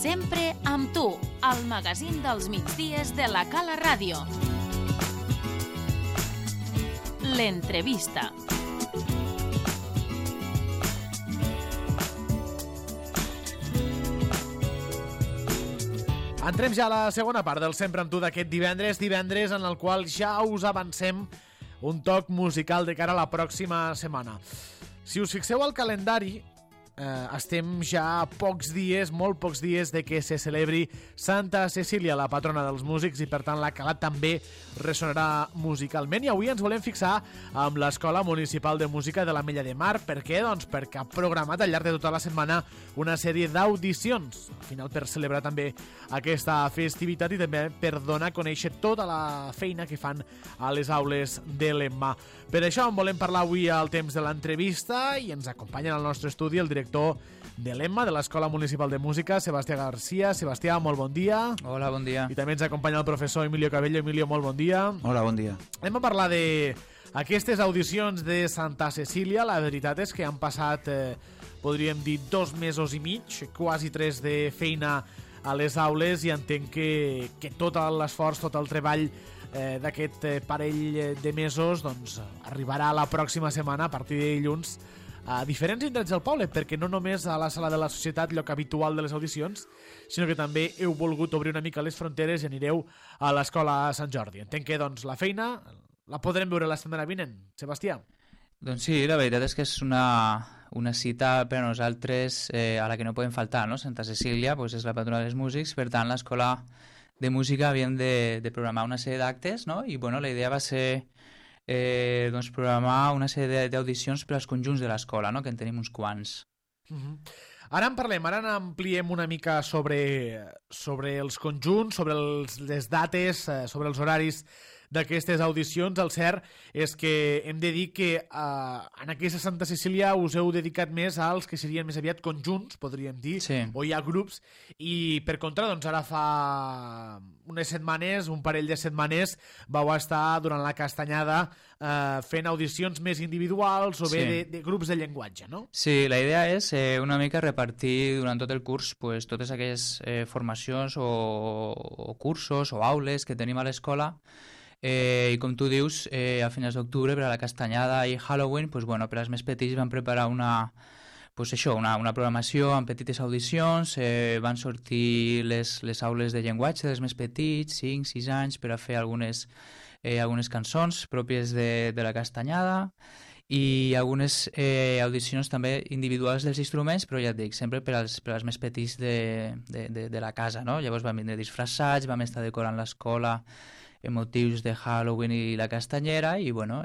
Sempre amb tu, al magazín dels migdies de la Cala Ràdio. L'entrevista. Entrem ja a la segona part del Sempre amb tu d'aquest divendres en el qual ja us avancem un toc musical de cara a la pròxima setmana. Si us fixeu al calendari, estem ja a pocs dies, molt pocs dies de que se celebri Santa Cecília, la patrona dels músics, i per tant la Cala també ressonarà musicalment. I avui ens volem fixar amb l'Escola Municipal de Música de l'Ametlla de Mar. Per què? Doncs perquè ha programat al llarg de tota la setmana una sèrie d'audicions, al final per celebrar també aquesta festivitat i també per donar a conèixer tota la feina que fan a les aules de l'EMMA. Per això en volem parlar avui al temps de l'entrevista i ens acompanya al nostre estudi el director de l'EMMA, de l'Escola Municipal de Música, Sebastià Garcia. Sebastià, molt bon dia. Hola, bon dia. I també ens acompanya el professor Emilio Cabello. Emilio, molt bon dia. Hola, bon dia. Anem a parlar d'aquestes audicions de Santa Cecília. La veritat és que han passat, podríem dir, 2 mesos i mig, quasi 3 de feina a les aules, i entenc que tot l'esforç, tot el treball d'aquest parell de mesos doncs, arribarà la pròxima setmana, a partir de dilluns, a diferents indrets del poble, perquè no només a la Sala de la Societat, lloc habitual de les audicions, sinó que també heu volgut obrir una mica les fronteres i anireu a l'Escola Sant Jordi. Entenc que doncs, la feina la podrem veure la setmana vinent. Sebastià. Doncs sí, la veritat és que és una cita per a nosaltres a la que no podem faltar, no? Santa Cecília doncs és la patrona dels músics, per tant l'Escola de Música havíem de programar una sèrie d'actes, no? I bueno, la idea va ser doncs programar una sèrie d'audicions per als conjunts de l'escola, no? Que en tenim uns quants. Ara en parlem, ara n'ampliem una mica sobre els conjunts, sobre les dates, sobre els horaris d'aquestes audicions. El cert és que hem de dir que en aquesta Santa Cecília us heu dedicat més als que serien més aviat conjunts, podríem dir, sí. O hi ha grups, i per contra, doncs ara fa unes setmanes, un parell de setmanes, vau estar durant la castanyada fent audicions més individuals o bé sí. de grups de llenguatge, no? Sí, la idea és una mica repartir durant tot el curs pues, totes aquelles formacions o cursos o aules que tenim a l'escola. I com tu dius, a finals d'octubre per a la castanyada i Halloween, pues, bueno, per als més petits van preparar una programació amb petites audicions, van sortir les aules de llenguatge dels més petits, 5, 6 anys, per a fer algunes cançons pròpies de la castanyada i algunes audicions també individuals dels instruments, però ja et dic, sempre per als més petits de la casa, no? Llavors vam vindre disfressats, vam estar decorant l'escola en motius de Halloween i la castanyera i bueno,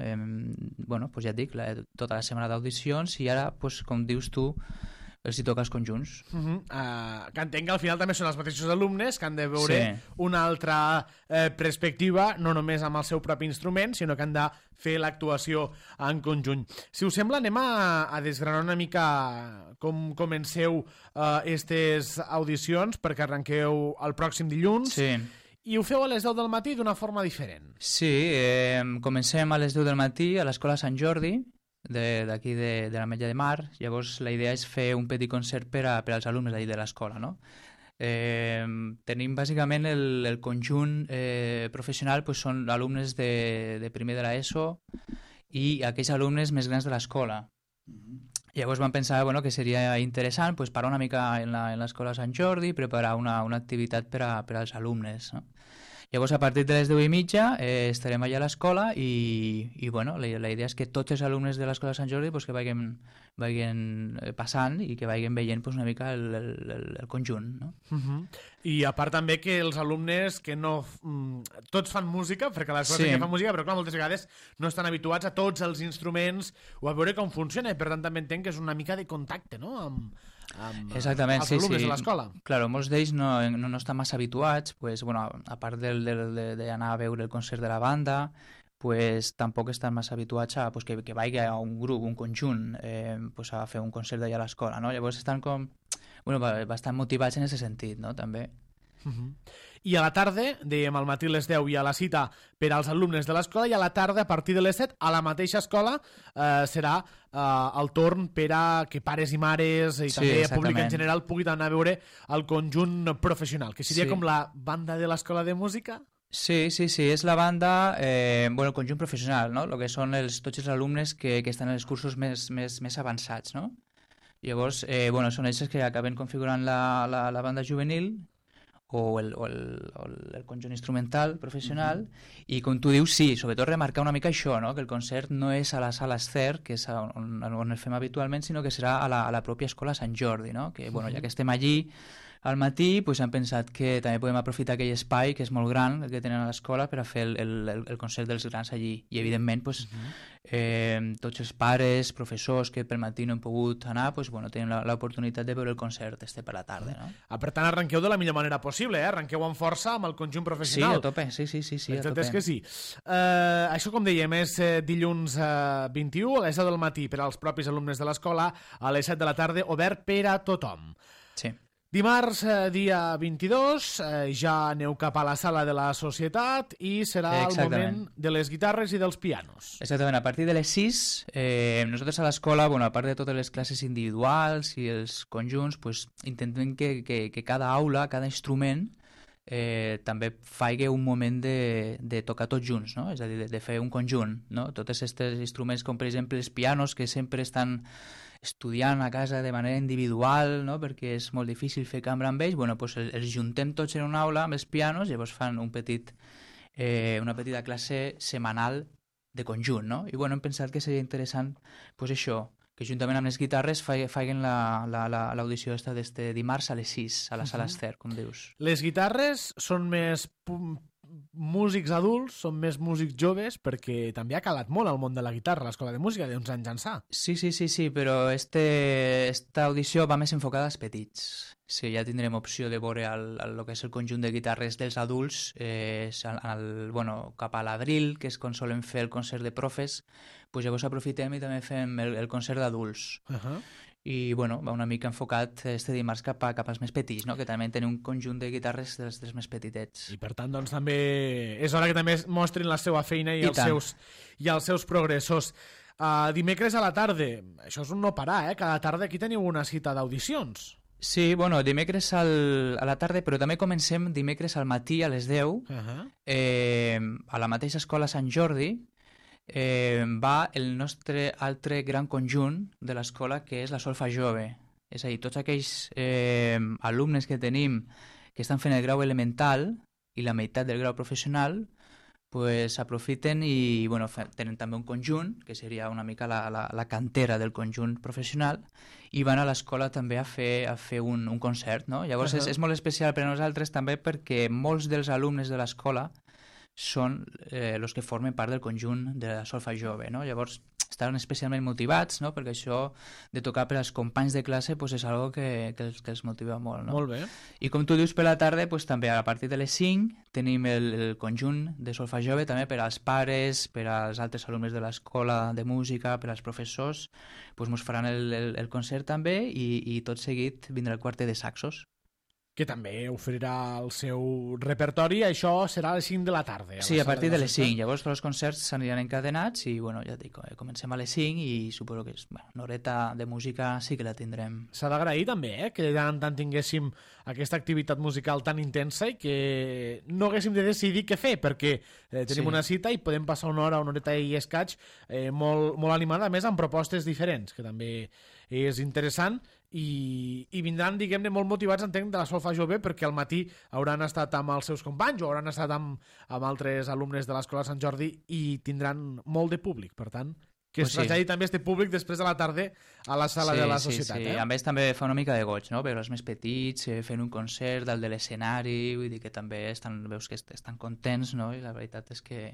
pues ja et dic, tota la setmana d'audicions i ara, pues, com dius tu, els hi toca els conjunts. Que entenc que al final també són els mateixos alumnes que han de veure una altra perspectiva, no només amb el seu propi instrument, sinó que han de fer l'actuació en conjunt. Si us sembla, anem a desgranar una mica com comenceu aquestes audicions, perquè arrenqueu el pròxim dilluns. Sí. I ho feu a les 10 del matí d'una forma diferent. Sí, comencem a les 10 del matí a l'Escola Sant Jordi, d'aquí de l'Ametlla de Mar. Llavors la idea és fer un petit concert per als alumnes d'ahir de l'escola, no? Tenim bàsicament el conjunt professional, pues, són alumnes de primer de l'ESO i aquells alumnes més grans de l'escola. Llavors vam pensar que seria interessant pues, parar una mica en l'escola Sant Jordi i preparar una activitat per als alumnes, no? Llavors, a partir de les 10:30 estarem allà a l'escola i bueno, la idea és que tots els alumnes de l'escola Sant Jordi pues, que vagin passant i que vagin veient pues, una mica el conjunt, no? I a part també que els alumnes que no... tots fan música, perquè a l'escola sí que fan música, però clar, moltes vegades no estan habituats a tots els instruments o a veure com funciona, i per tant també entenc que és una mica de contacte, no?, amb exactament, els alumnes de l'escola. Claro, molts d'ells no estan massa habituats, pues, bueno, a part d'anar a veure el concert de la banda, pues, tampoc estan massa habituats a pues, que vagi a un grup, un conjunt, pues, a fer un concert d'allà a l'escola, no? Llavors estan com bastant motivats en aquest sentit, no? També. I a la tarda, dèiem al matí a les 10 hi ha la cita per als alumnes de l'escola i a la tarda, a partir de les 7, a la mateixa escola serà el torn per a que pares i mares i també públic en general puguin anar a veure el conjunt professional, que seria com la banda de l'escola de música? Sí, és la banda, el conjunt professional, no? El que són tots els alumnes que estan en els cursos més avançats, no? Llavors, són ells que acaben configurant la banda juvenil o el conjunt instrumental professional i com tu dius, sí, sobretot remarcar una mica això, no? Que el concert no és a la sala Ester, que és on el fem habitualment, sinó que serà a la pròpia escola Sant Jordi, no? Que, ja que estem allí al matí, doncs hem pensat que també podem aprofitar aquell espai que és molt gran, el que tenen a l'escola, per a fer el concert dels grans allí. I evidentment, tots els pares, professors que per matí no hem pogut anar, tenen l'oportunitat de veure el concert per la tarda. No? Per tant, arrenqueu de la millor manera possible, arrenqueu amb força amb el conjunt professional. Sí, a tope, sí, a tope. És que sí. Això, com dèiem, és dilluns 21 a les 10 del matí per als propis alumnes de l'escola, a les 7 de la tarda, obert per a tothom. Sí. Dimarts, dia 22, ja aneu cap a la sala de la societat i serà el moment de les guitarres i dels pianos. Exactament, a partir de les 6, nosaltres a l'escola, a part de totes les classes individuals i els conjunts, intentem que cada aula, cada instrument, també faci un moment de tocar tots junts, no? És a dir, de fer un conjunt. No? Tots aquests instruments, com per exemple els pianos, que sempre estan estudiant a casa de manera individual, no? Perquè és molt difícil fer cambra amb ells, els juntem tots en una aula amb els pianos, llavors fan una petita classe setmanal de conjunt, no? I hem pensat que seria interessant això, que juntament amb les guitarres facin l'audició d'este dimarts a les 6, a la sala Ester, com dius. Les guitarres són més músics adults, són més músics joves, perquè també ha calat molt el món de la guitarra, l'escola de música, d'uns anys ençà. Sí, però esta audició va més enfocada als petits. Sí, ja tindrem opció de veure el que és el conjunt de guitarres dels adults cap a l'abril, que és quan solen fer el concert de profes, llavors aprofitem i també fem el concert d'adults. I va una mica enfocat este dimarts cap als més petits, no? Que també tenen un conjunt de guitarres dels més petitets. I per tant, doncs, també és hora que també mostrin la seva feina i els seus progressos. Dimecres a la tarda, això és un no parar, cada tarda aquí teniu una cita d'audicions. Sí, dimecres a la tarda, però també comencem dimecres al matí a les 10, a la mateixa escola Sant Jordi, va el nostre altre gran conjunt de l'escola, que és la solfa jove. És a dir, tots aquells alumnes que tenim que estan fent el grau elemental i la meitat del grau professional, aprofiten i tenen també un conjunt, que seria una mica la cantera del conjunt professional, i van a l'escola també a fer un concert. No? Llavors és molt especial per a nosaltres també perquè molts dels alumnes de l'escola són els que formen part del conjunt de la solfa jove, no? Llavors estaven especialment motivats, no? Perquè això de tocar per als companys de classe és algo que els motiva molt, no? Molt bé. I com tu dius, per la tarda també a partir de les 5 tenim el conjunt de solfa jove també per als pares, per als altres alumnes de l'escola de música, per als professors, ens faran el concert també i tot seguit vindrà el quartet de saxos, que també oferirà el seu repertori. Això serà a les 5 de la tarda. Sí, a partir de les 5. Llavors tots els concerts s'aniran encadenats i, ja et dic, comencem a les 5 i suposo que una horeta de música sí que la tindrem. S'ha d'agrair també, que de tant en tant tinguéssim aquesta activitat musical tan intensa i que no haguéssim de decidir què fer, perquè tenim una cita i podem passar una horeta i escaig molt animada, a més amb propostes diferents, que també és interessant. I vindran, diguem-ne, molt motivats, entenc, de la solfa jove, perquè al matí hauran estat amb els seus companys o hauran estat amb altres alumnes de l'escola Sant Jordi i tindran molt de públic. Per tant, que es traslladi també este públic després de la tarda a la sala de la societat. Sí. A més també fa una mica de goig, no? Veure els més petits fent un concert dalt de l'escenari, vull dir que també veus que estan contents, no? I la veritat és que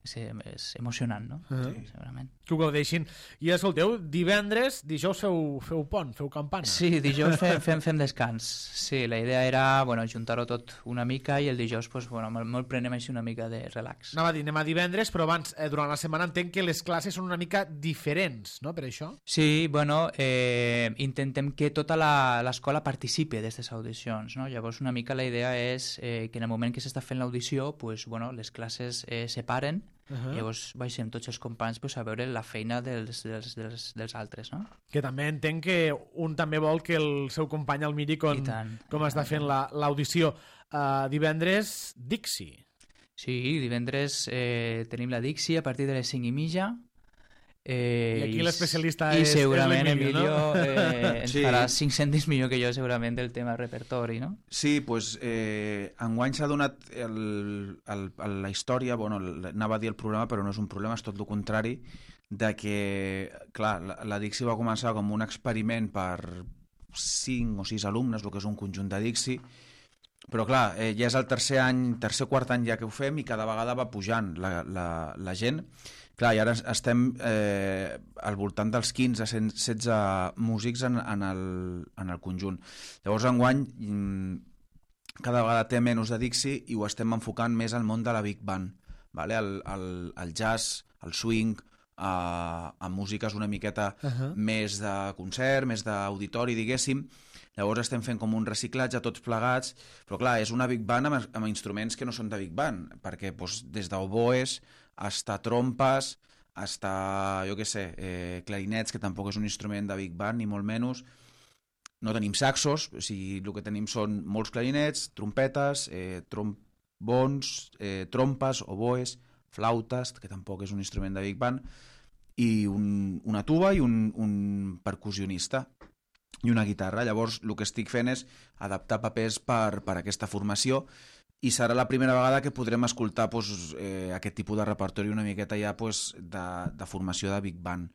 és emocionant, no? Segurament. Que ho gaudeixin. I escolteu, divendres, dijous feu pont, feu campana. Sí, dijous fem descans. Sí, la idea era juntar-ho tot una mica i el dijous molt prenem així una mica de relax. Anem a divendres, però abans, durant la setmana entenc que les classes són una mica diferents, no?, per això? Sí, intentem que tota l'escola participi d'aquestes audicions, no? Llavors una mica la idea és que en el moment que s'està fent l'audició, les classes separen. Llavors baixem tots els companys a veure la feina dels altres, no? Que també entenc que un també vol que el seu company el miri com està fent l'audició. Divendres, Dixie. Sí, divendres tenim la Dixie a partir de les 5:30. I aquí l'especialista és segurament l'Emilio, no? Ens farà 5 cèntims millor que jo segurament del tema repertori, no? Sí, doncs enguany s'ha donat la història, anava a dir el problema, però no és un problema, és tot el contrari, de que, clar, la Dixie va començar com un experiment per 5 o 6 alumnes, el que és un conjunt de Dixie, però clar, ja és el tercer quart any ja que ho fem i cada vegada va pujant la gent. Clar, i ara estem al voltant dels 15 a 16 músics en el conjunt. Llavors, enguany, cada vegada té menys de Dixie i ho estem enfocant més al món de la Big Band, vale? El jazz, el swing, a músiques una miqueta més de concert, més d'auditori, diguéssim. Llavors estem fent com un reciclatge tots plegats, però clar, és una Big Band amb instruments que no són de Big Band, perquè des d'oboes hasta trompes, hasta, jo què sé, clarinets, que tampoc és un instrument de Big Band, ni molt menys. No tenim saxos, o sigui, el que tenim són molts clarinets, trompetes, trombons, trompes, oboes, flautes, que tampoc és un instrument de Big Band, i una tuba i un percussionista i una guitarra. Llavors, el que estic fent és adaptar papers per aquesta formació, i serà la primera vegada que podrem escoltar aquest tipus de repertori una miqueta ja de formació de Big Band.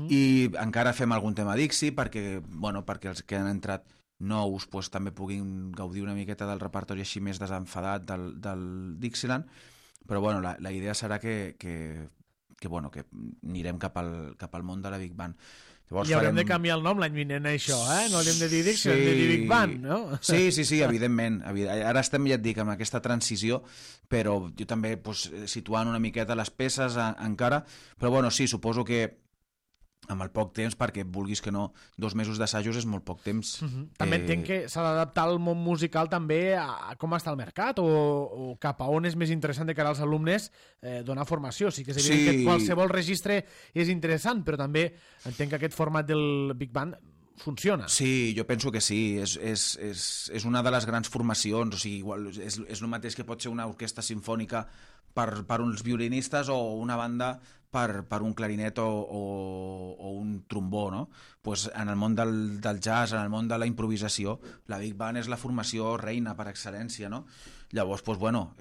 I encara fem algun tema Dixie perquè els que han entrat nous també puguin gaudir una miqueta del repertori així més desenfadat del Dixieland, però la idea serà que anirem cap al món de la Big Band. Llavors I haurem de canviar el nom l'any vinent, això, no haurem de dir Dixie, haurem de dir Big Band, no? Sí, evidentment. Ara estem, ja et dic, amb aquesta transició, però jo també situant una miqueta les peces encara, però sí, suposo que amb el poc temps, perquè vulguis que no, 2 mesos d'assajos és molt poc temps. També entenc que s'ha d'adaptar el món musical també a com està el mercat o cap a on és més interessant de cara als alumnes donar formació. Sí que és evident que qualsevol registre és interessant, però també entenc que aquest format del Big Band funciona. Sí, jo penso que sí, és una de les grans formacions, o sigui, igual és el mateix que pot ser una orquestra sinfònica per uns violinistes o una banda per un clarinet o un trombó, no? Pues en el món del jazz, en el món de la improvisació, la Big Band és la formació reina per excel·lència, no? Llavors,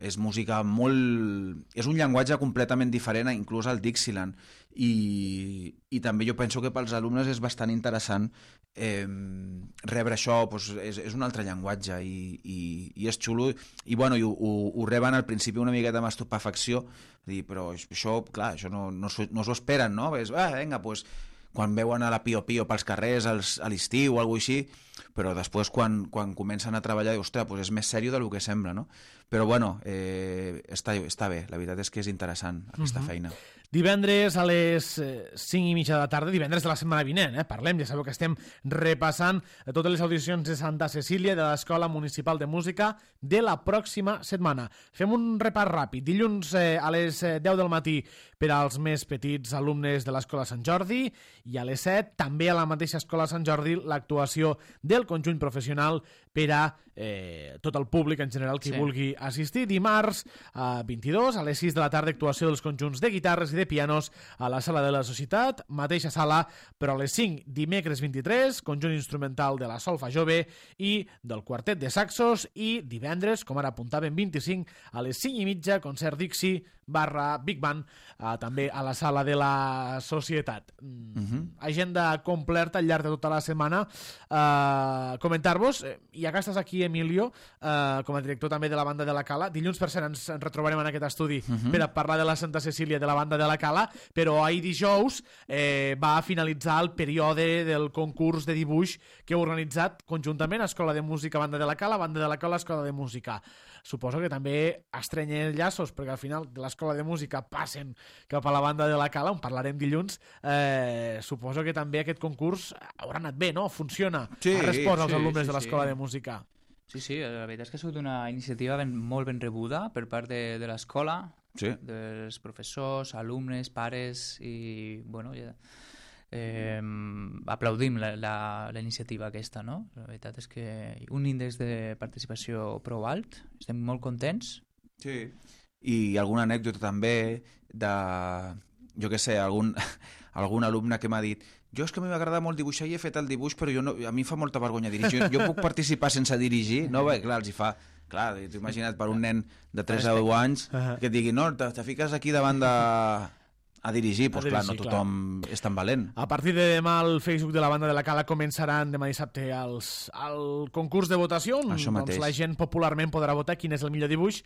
és música molt... És un llenguatge completament diferent, inclús al Dixieland, i també jo penso que pels alumnes és bastant interessant rebre això, és un altre llenguatge i és xulo, i ho reben al principi una miqueta amb estupefacció, però això, clar, això no s'ho esperen, no? Vinga, quan veuen a la Pio Pio pels carrers a l'estiu o alguna cosa així, però després quan comencen a treballar, ostres, és més sèrio del que sembla, no? Però està bé, la veritat és que és interessant aquesta feina. Divendres a les 5:30 de la tarda, divendres de la setmana vinent, parlem, ja sabeu que estem repassant totes les audicions de Santa Cecília de l'Escola Municipal de Música de la pròxima setmana. Fem un repàs ràpid. Dilluns a les 10 del matí per als més petits alumnes de l'Escola Sant Jordi i a les 7 també a la mateixa Escola Sant Jordi l'actuació del conjunt professional per a tot el públic en general que vulgui assistir. Dimarts 22 a les 6 de la tarda actuació dels conjunts de guitarres i de de pianos a la Sala de la Societat, mateixa sala, però a les 5 dimecres 23, conjunt instrumental de la Solfa Jove i del Quartet de Saxos, i divendres, com ara apuntàvem, 25 a les 5:30, concert Dixie / Big Band, també a la Sala de la Societat. Agenda completa al llarg de tota la setmana. Comentar-vos, ja que estàs aquí, Emilio, com a director també de la banda de la Cala, dilluns per cert ens retrobarem en aquest estudi per a parlar de la Santa Cecília de la banda de la Cala, però ahir dijous va finalitzar el període del concurs de dibuix que heu organitzat conjuntament Escola de Música, banda de la Cala, Escola de Música. Suposo que també estrenyen llaços, perquè al final de l'Escola de Música passen cap a la banda de la Cala, on parlarem dilluns. Suposo que també aquest concurs haurà anat bé, no? Funciona. Sí, ha respost als alumnes sí, de l'Escola de Música. Sí, la veritat és que ha sigut una iniciativa molt ben rebuda per part de l'escola, dels professors, alumnes, pares, i bueno, aplaudim la iniciativa aquesta, no? La veritat és que un índex de participació prou alt, estem molt contents. Sí, i alguna anècdota també de, jo què sé, algun alumne que m'ha dit: jo és que a mi m'agrada molt dibuixar i he fet el dibuix, però a mi em fa molta vergonya dirigir. Jo puc participar sense dirigir? No, bé, clar, els hi fa... Clar, t'ho imagina't per un nen de 3 a 10 anys que et digui: no, te fiques aquí davant a dirigir, doncs clar, no tothom és tan valent. A partir de demà al Facebook de la banda de la Cala començaran demà dissabte el concurs de votació, doncs la gent popularment podrà votar quin és el millor dibuix,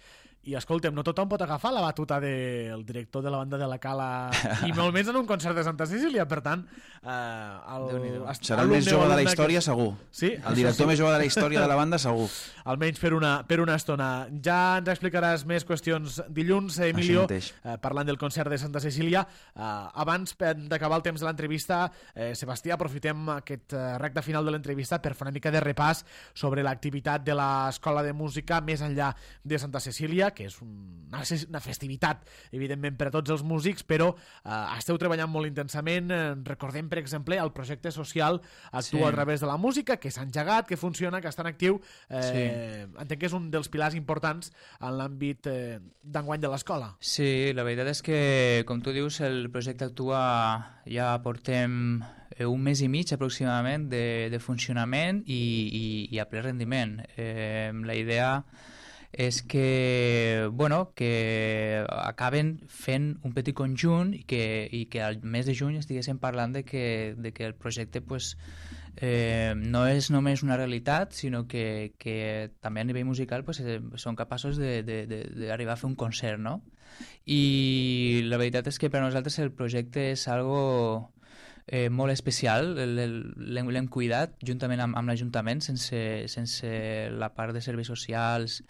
i escolta'm, no tothom pot agafar la batuta del director de la banda de la Cala, i molt menys en un concert de Santa Cecília, per tant serà el més jove de la història, segur. Sí? El director més jove de la història de la banda, segur. Almenys per una estona. Ja ens explicaràs més qüestions dilluns, Emilio, parlant del concert de Santa Cecília. Abans d'acabar el temps de l'entrevista, Sebastià, aprofitem aquest recte final de l'entrevista per fer una mica de repàs sobre l'activitat de l'Escola de Música més enllà de Santa Cecília, que és una festivitat, evidentment, per a tots els músics, però esteu treballant molt intensament. Recordem, per exemple, el projecte social Actua a través de la música, que s'ha engegat, que funciona, que està en actiu. Entenc que és un dels pilars importants en l'àmbit d'enguany de l'escola. Sí, la veritat és que, com tu dius, el projecte Actua ja portem un mes i mig aproximadament de funcionament i a ple rendiment. La idea és que, bueno, que acaben fent un petit conjunt i que al mes de juny estiguéssim parlant de que el projecte pues, no és només una realitat, sinó que també a nivell musical pues, són capaços d'arribar a fer un concert, no? I la veritat és que per a nosaltres el projecte és algo molt especial, l'hem cuidat juntament amb l'Ajuntament, sense la part de serveis socials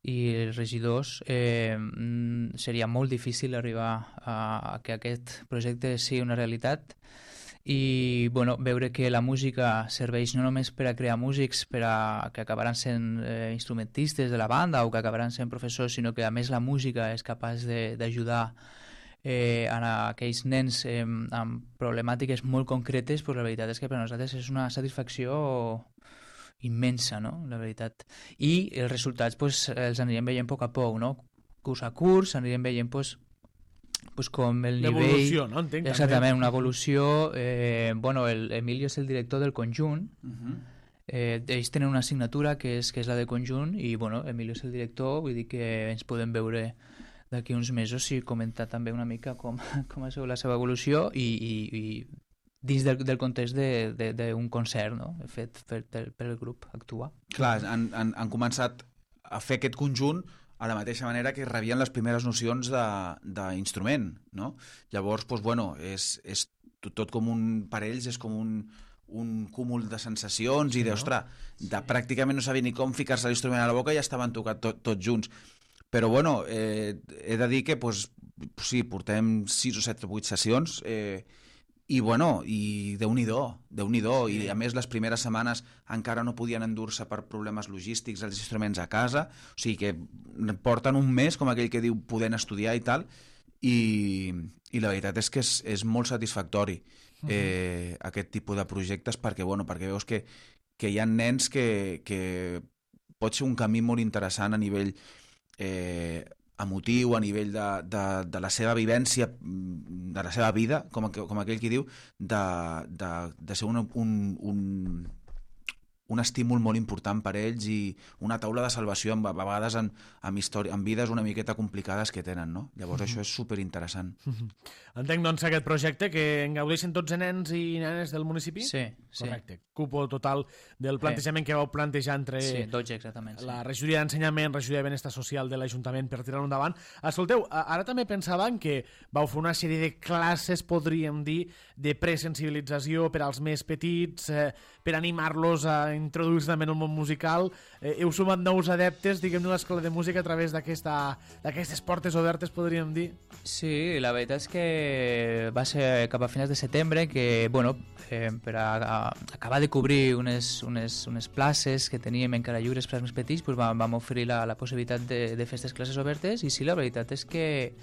i els regidors. Seria molt difícil arribar a que aquest projecte sigui una realitat i bueno, veure que la música serveix no només per a crear músics que acabaran sent instrumentistes de la banda o que acabaran sent professors, sinó que a més la música és capaç d'ajudar a aquells nens amb problemàtiques molt concretes, pues la veritat és que per a nosaltres és una satisfacció immensa, no? La veritat. I els resultats pues, els anirem veient a poc a poc, no? Curs a curs, anirem veient pues, com el nivell... L'evolució, no? Entenc. Exactament, una evolució. Bueno, Emilio és el director del conjunt. Ells tenen una assignatura que és la de conjunt i bueno, Emilio és el director, vull dir que ens podem veure d'aquí uns mesos i comentar també una mica com ha sigut la seva evolució i dins del context d'un concert, no? Fet per el grup Actua. Clar, han començat a fer aquest conjunt a la mateixa manera que rebien les primeres nocions d'instrument, no? Llavors, doncs, bueno, és tot com per ells és com un cúmul de sensacions i d'ostres, pràcticament no sabia ni com ficar-se l'instrument a la boca i ja estaven tocant tots junts. Però, bueno, he de dir que, doncs, sí, portem 6 o 7 o 8 sessions i, bueno, i Déu-n'hi-do. I, a més, les primeres setmanes encara no podien endur-se per problemes logístics els instruments a casa, o sigui que porten un mes, com aquell que diu, podent estudiar i tal, i la veritat és que és molt satisfactori aquest tipus de projectes perquè veus que hi ha nens que pot ser un camí molt interessant a nivell emotiu, a nivell de la seva vivència, de la seva vida, com aquell qui diu, de ser un estímul molt important per ells i una taula de salvació a vegades en vides una miqueta complicades que tenen, no? Llavors això és superinteressant. Entenc, doncs, aquest projecte que en gaudeixen tots els nens i nenes del municipi? Sí. Correcte. Cupo total del plantejament que vau plantejar entre la regidoria d'ensenyament, regidoria de benestar social de l'Ajuntament per tirar-ho endavant. Escolteu, ara també pensàvem que vau fer una sèrie de classes, podríem dir, de presensibilització per als més petits, per animar-los a introduir-se també en el món musical. Heu sumat nous adeptes, diguem-ne, a l'Escola de Música a través d'aquestes portes obertes, podríem dir? Sí, la veritat és que va ser cap a finals de setembre que, bueno, per acabar de cobrir unes places que teníem encara lliures per als més petits, doncs vam oferir la possibilitat de fer aquestes classes obertes i sí, la veritat és que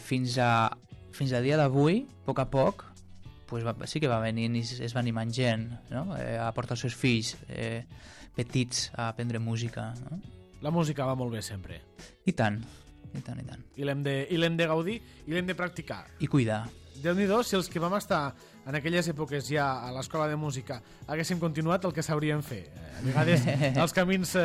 fins a dia d'avui, a poc, pues sí que va venint i es va animant gent, no? A portar els seus fills petits a aprendre música. No? La música va molt bé sempre. I tant. I l'hem de gaudir i l'hem de practicar. I cuidar. Déu-n'hi-do, si els que vam estar en aquelles èpoques ja a l'escola de música haguéssim continuat, el que sabríem fer. A vegades els camins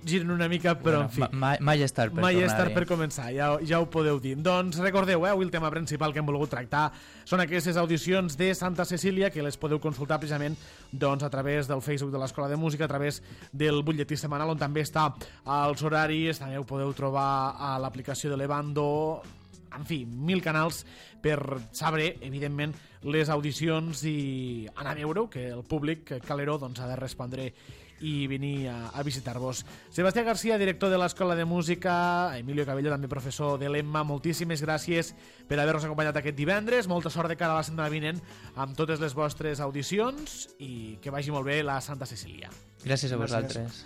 giren una mica, però en fi. Mai és tard per tornar-hi. Mai és tard per començar, ja ho podeu dir. Doncs recordeu, avui el tema principal que hem volgut tractar són aquestes audicions de Santa Cecília, que les podeu consultar precisament doncs, a través del Facebook de l'Escola de Música, a través del butlletí setmanal, on també està als horaris, també ho podeu trobar a l'aplicació de l'Evando, en fi, 1000 canals per saber, evidentment, les audicions i anar a veure-ho, que el públic caleró doncs, ha de respondre i venir a visitar-vos. Sebastià García, director de l'Escola de Música, Emilio Cabello, també professor de l'EMMA, moltíssimes gràcies per haver-nos acompanyat aquest divendres, molta sort de cara a la setmana vinent amb totes les vostres audicions i que vagi molt bé la Santa Cecília. Gràcies a vosaltres.